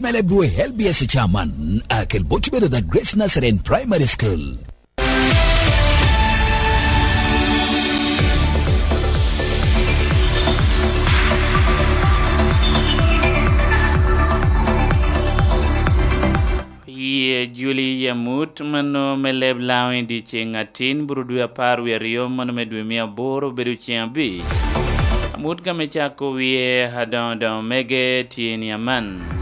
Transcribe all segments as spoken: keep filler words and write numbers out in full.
L B S chairman, akel bot bedo the Grace Nazarene Primary School. Yie Juli Yamut, mano me leb Laŋo i dyeceŋ atin, buro dwe apar wie aryo, mano me dwe mia aboro obedo ceŋ abic. Amut ka me cako wie adoŋo doŋo mege tye ni aman.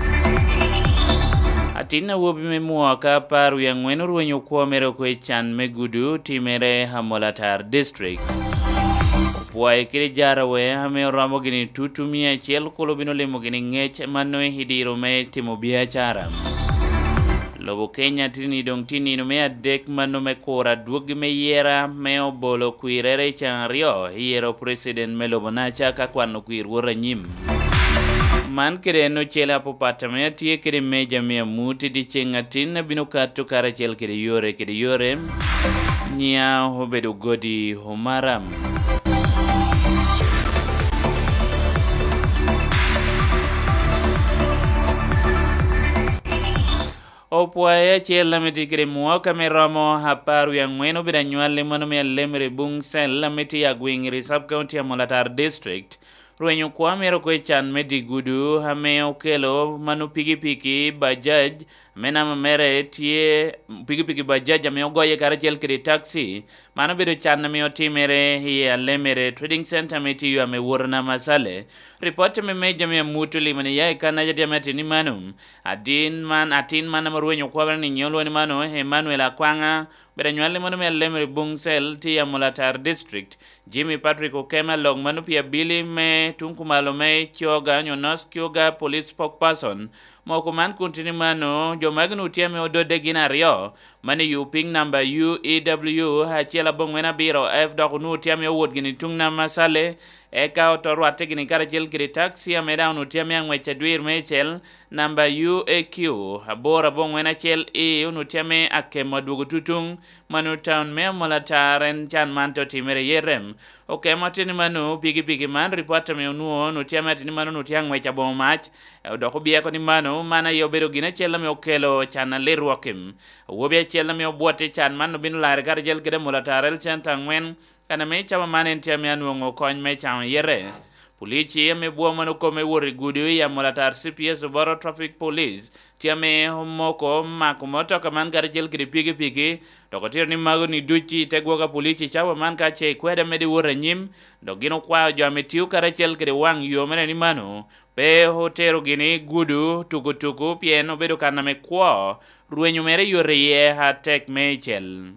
Atin awobi me mwaka apar wie aŋwen orwenyo kwo mere oko i can me gudu timere Amolatar District. Opwoye kede jarawe ame oromo gini tutu mia acel kulu bino limo gini ŋec mano i diro me timo biacara. Lobo Kenya tini doŋ tye nino me adek mano me kuro adwoggi me yera me obolo kwirere i can aryo i yero president me lobo naca ka kwano kwir wot anyim. Man kede en ocele apapat ame atye kede meja me amut i dyeceŋ atin abino kato karacel kede yore kede yore. Nyiŋa obedo Godi Omaram. Opwoye acel ame tye kede mwaka me romo apar wie aŋwen obedo anywalli mano me Alemere Buŋ Cell ame tye i Agwiŋiri Sub County Amolatar District. Rwenyo kwo mere oko i can me dye gudu ame okelo mano pikipiki Bajaj ame namba mere tye pikipiki Bajaj ame ogoye karacel kede taxi. Man obedo can ame otimere i Alemere Trading Center ame tye yo ame woto Namasale. Ripot ame meja me amut olimo ni ya i kan aja ame atin ni mano, adin man, atin man ame orwenyo kwabere ni nyolwa ni mano, Emmanuel Akwaŋa, obedo anywalli mano me Alemere Buŋ Cell, tye i Amolatar District. Jimmy Patrick Okema, lok mano pi abili me tuŋ kumalo me Kyoga nyo North Kyoga Police Spokesperson, moko man kun tye ni mano, jo magi onwoŋo tye ame ododde gin aryo, man i Yuping namba U E W acel aboŋwen abiro F dok onwoŋo tye ame owot gini tuŋ Namasale, eka oto rwatte gini karacel kede taxi ame daŋ onwoŋo tye ame aŋwec adwir meicel namba U A Q aboro aboŋwen acel E onwoŋo tye ame akemo adwogo tutuŋ mano taun me Amolatar en can man te otimere iye rem. Okemo tye ni mano pikipiki man ripot ame onwoŋo onwoŋo tye ame atye ni mano onwoŋo tye aŋwec aboŋo mac, dok obyeko ni mano man aye obedo gin acel ame okelo can alit rwok-ki. Awobi acel ame obwot i can man obino larre karacel kede Amolatar Health Center aŋwen, kan ame cawa man en tye ame anwoŋo kony me caŋo yete. Pulici ame bwo man okome wot i gudo i Amolatar C P S Oboro Traffic Police tye ame omoko mako motoka man karacel kede pikipiki, dok otito ni mago ni duc i te gwok a pulici cawa man ka ce ikwede amede wot anyim, dok gin okwao jo ame tio karacel kede waŋ yo mere ni mano pe otero gini gudo tukutuku pien obedo kan ame kwo, rwenyo mere yot iye atek meicel.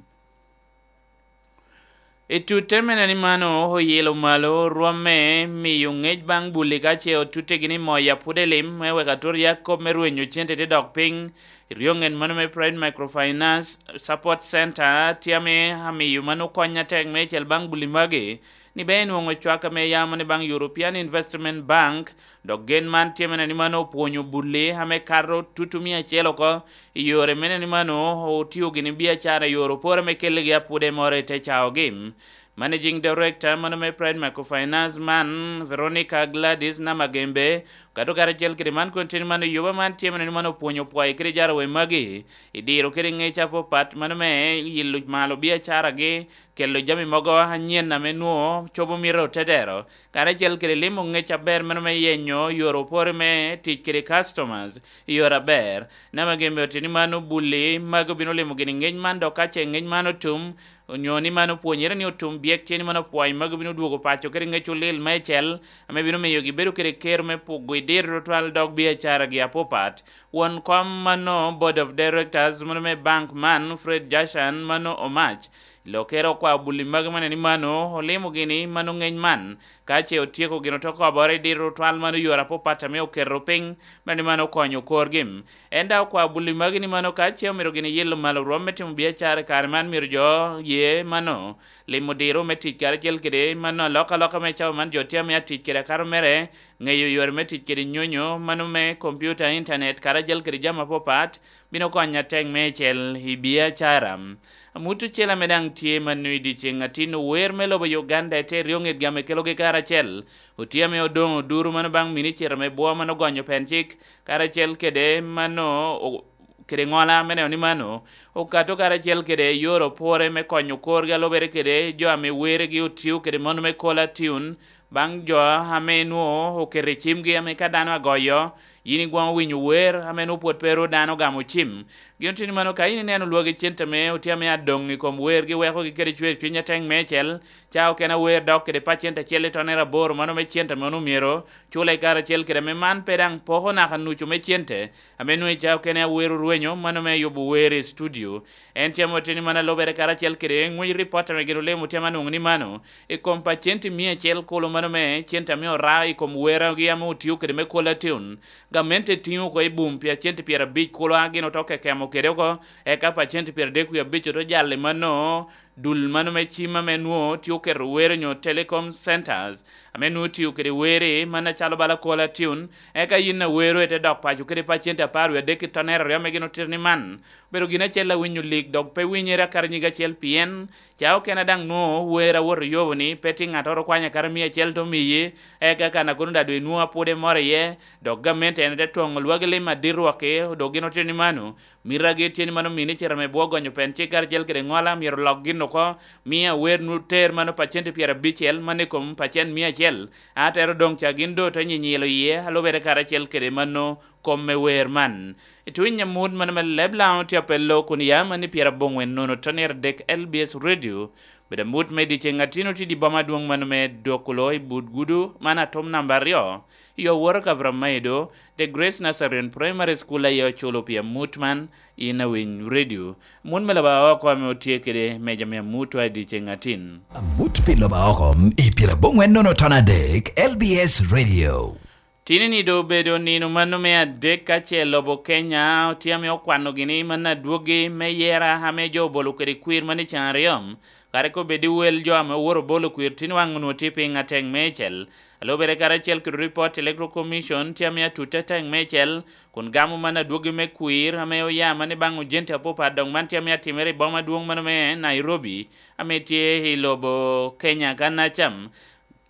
I tutte mene ni mano oyilo malo rwomme miyo ŋec baŋ bulli ka ce otutte gini moya pwod elim me wek atur ya kop me rwenyo cente te dok piny. I ryoŋet mano me Pride Microfinance Support Center tye ame amiyo mano kony atek meicel baŋ bulli magi, ni bene enwoŋo cwak ame yamo ni baŋ European Investment Bank, dok gen man tye mene ni mano opwonyo bulli ame kato tutu mia acel oko i yore mene ni mano otio gini biacara i yore opore me keligi apwode moro i te caogi. Managing Director mano me Pride Microfinance man, Veronica Gladys Namagembe, okato karacel kede man kun tye ni mano yoba man tye mene ni mano opwonyo pwoye kede jarawe magi i diro kede ŋec apapat mano me yilo malo biacaragi, kelo jami mogo anyen ame nwoŋo cobo mito tedero, karacel kede limo ŋec aber meno me yenyo yore opore me tic kede customers i yore aber. Nama gin myero tye ni man obulli magi obino limo gini ŋec man, dok ka ce ŋec man otum, onyo ni man opwonyere ni otum byek, tye ni man opwony magi obino dwogo paco kede ŋec olil meicel, ame bino miyo gibedo kede ker me pugo i diro tutwal dok biacaragi apapat. Won kom mano Board of Directors mano me bank man, Fred Jashan, mano omac, Lokere okwao bulli magi mene ni mano olimo gini mano ŋeny man, ka ce otyeko gin oto kobore i diro twal mano yore apapat ame oketo piny, mene ni mano okonyo korgi. En daŋ okwao bulli magi ni mano ka ce omito gini yilo malo rwom me timo biacara i kare man, myero jo ye mano limo diro me tic karacel kede mano alokaloka me cawa man jo tye ame atic kede akato mere, Ŋeyo yore me tic kede nyonyo, mano me kompiuta, intanet, karacel kede jami apapat, bino konyo atek meicel i biacara. Amut ocele ame daŋ tye mano i dyeceŋ atin, ower me lobo Uganda ete ryo ŋetgi ame kelogi karacel. Otye ame odoŋ oduro mano baŋ minicita me bwo mano gonyo pen cik, karacel kede mano o-, kede ŋola me neno ni mano okato karacel kede yore opore me konyo korgi a lubere kede jo ame weregi otio kede mano me kola tune, baŋ jo ame nwoŋo oketo i cimgi ame ka dano agoyo, yin igwoŋo winyo wer ame nwoŋo pwod pe ru dano ogamo cim. Gin oteni mano, ka yin ineno lwagi cente ame otye ame adoŋ i kom wergi wekogi kede cwer cwiny ateŋ meicel, ca okene awer dok kede pacent acel i tonere aboro mano me cente ame onwoŋo myero cule i kare acel kede ame man pe daŋ poko naka nucu me cente ame nwoŋo i ca okene awer orwenyo mano me yubo wer i studio. En tye ame oteni mano a lubere karacel kede ŋwec ripot ame gin olemo tye ame anwoŋo ni mano i kom pacenti mia acel kulu mano me cente ame ora i kom weragi ame otio kede me kola tune. Gamente tiŋo oko i bum pi acenti pyerabic kulu a gin oto kekemo kede oko, eka pacenti pyeradek wie abic oto jal i mano dul mano me cim ame nwoŋo tye oketo wer onyo telecom centers, ame nwoŋo tio kede wer-ri man acalo bala kola tune, eka yin awero ite dok paco kede pacenti apar wie adek i tonere aryo ame gin otito ni man obedo gin acel a winyo lik dok pe winyere akato nyig acel, pien ca okene daŋ nwoŋo wer awoto yobo ni pe tye ŋattoro okwanyo akato mia acel te omiyi, eka kan a kono daŋ doŋ inwoŋo apwode moro iye, dok gamente en te twoŋo lwagi lim adit rwokki, dok gin otito ni mano, mitagi tye ni mano minicita me bwo gonyo pen cik karacel kede ŋola myero lok gin oko, mi awer nwoŋo ter mano pacenti pyerabicel, mano i kom pacent mia acel, a tero doŋ ca gin doŋ te nyinyilo iye, a lubere karacel kede mano kom me wer man. I tuny amut mano me leb Laŋo tye apello kun ya mani pyeraboŋwen nono tonere dek L B S Radio, bedo amut me dyeceŋ atino tye i boma adwoŋ mano me Dokulo i but gudu man atum namba aryo, i Oworo Kavramaido, The Grace Nazarene Primary School aye oculo pi amut man, in awiny radio. Amut me loba oko ame otye kede meja me amut wa i dyeceŋ atin. Amut pi loba oko i pyeraboŋwen nono ton adek, L B S Radio. Tini-ni doŋ obedo nino mano me adek ka ce lobo Kenya otye ame okwano gini mano adwogi me yera ame jo obolo kede kwir mano i can aryo. Kare ka obed i wel jo ame oworo bolo kwir tin waŋ onwoŋo tye piny atek meicel. A lubere karacel kede ripot Electoral Commission tye ame atutte atek meicel, kun gamo mano adwogi me kwir ame oya mano i baŋ ojenti apapat, dok man tye ame atimere i boma adwoŋ mano me Nairobi, ame tye i lobo Kenya kan acam.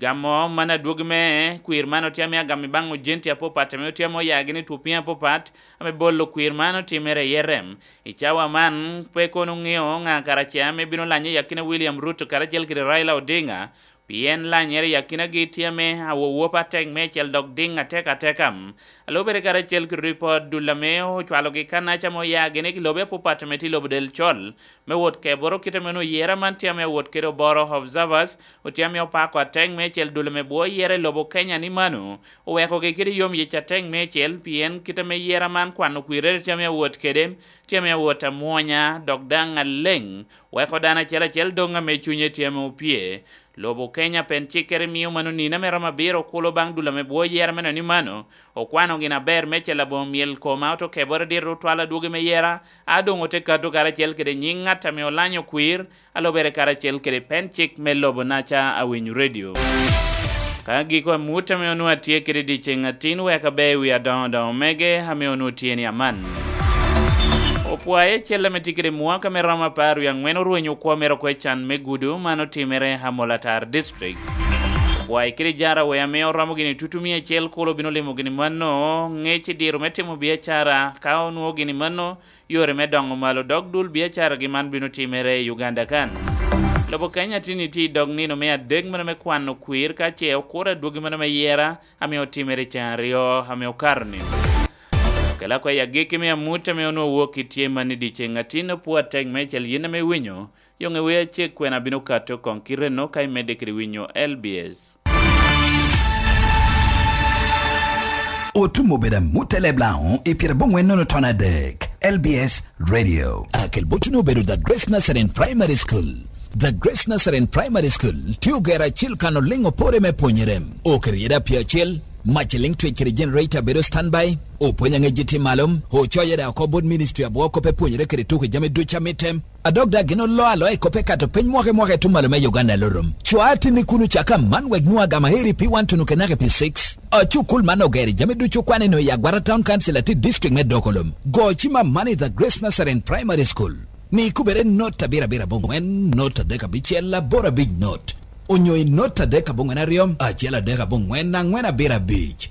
Gamo man adwogi me kwir man otye ame agamo i baŋ ojenti apapat ame otye ame oya gini i twopiny apapat ame bolo kwir man otimere i Erem. I cawa man pe kono ŋeo ŋa karaca ame bino lanye i akina William Ruto karacel kede Raila Odinga, pien lanyere i akinagi tye ame awowop atek meicel dok diŋ atek ateka. A lubere karacel kede ripot dul ame ocwalogi kanaca ame oya gini i lobe apapat ame tye i lobo del col, me wot keboro kit ame onwoŋo yera man tye ame awot kede oboro observers, otye ame opako atek meicel dul ame bwo yera i lobo Kenya ni mano owekogi kede yom yec atek meicel, pien kit ame yera man kwano kwirere tye ame awot kede, tye ame awot amwonya, dok daŋ aleŋ, weko dano acel acel doŋ ame cunye tye ame opye. Lobo Kenya pen cikkere mio mano nino ame romo abiro kulo baŋ dul ame bwo yera me neno ni mano okwano gin aber meicel aboŋo myel koma oto keboro dito otwal adwogi me yera, a doŋ ote kato karacel kede nyiŋ ŋat ame olanyo kwir, a lubere karacel kede pen cik me lobo naca awinyo radio. Ka giko amut ame onwoŋo atye kede dyeceŋ atin wek abe i wi adoŋo doŋo mege ame onwoŋo tye ni aman. Opwaye acel ame tye kede mwaka me romo apar wie aŋwen orwenyo kwo mere oko i can me gudo man otimere Amolatar District. Opwaye kede jara wea ame oromo gini tutu mia acel kulu bino limo gini mano ŋec i diro me timo biacara ka onwoŋo gini mano yore me doŋo malo dok dul biacaragi man bino timere i Uganda kan. Lobo Kenya tini tye i dog nino me adek mano me kwano kwir ka ce okuro adwogi mano me yera ame otimere i can aryo ame okato ni. Kela kwa i agikki me amut ame onwoŋo wok i tye man i dyeceŋ atin opwo atek me cal yin ame winyo, yoŋe wer acek kwena bino kato koŋ kite no ka imedde kede winyo L B S. Otum obedo amut e leb Laŋo i pyera boŋwen nono ton adek, L B S Radio. Akel botuni obedo The Grace Nazarene Primary School. The Grace Nazarene Primary School tye ogero acil kan oliŋ opore me pwonyere. Oketo yeda pye acel, mac eliŋ twec kede generator bedo standby, opwony aŋec tye malo, ocoyo yeda oko bot ministry abwo kop e pwonyere kede tuko jami ducu a mitte. A dok daŋ gin oloo aloa i kop ekato piny mwaka i mwaka i tuŋ malo me Uganda Lurum. Cwa atinni kun ocak aman wek nwoŋo agama heri pi wan tuno kenaka pi six. Acukul man ogero i jami ducu okwane-nu i Agwata Town Council atir District me Dokolom. Go cim amanni i The Grace Nazarene Primary School. Ni kubere not abirabira aboŋwen, not adek abicel, aboro abic not. Onyo i not adek aboŋwen aryo, acel adek aboŋwen, aŋwen abiro abic.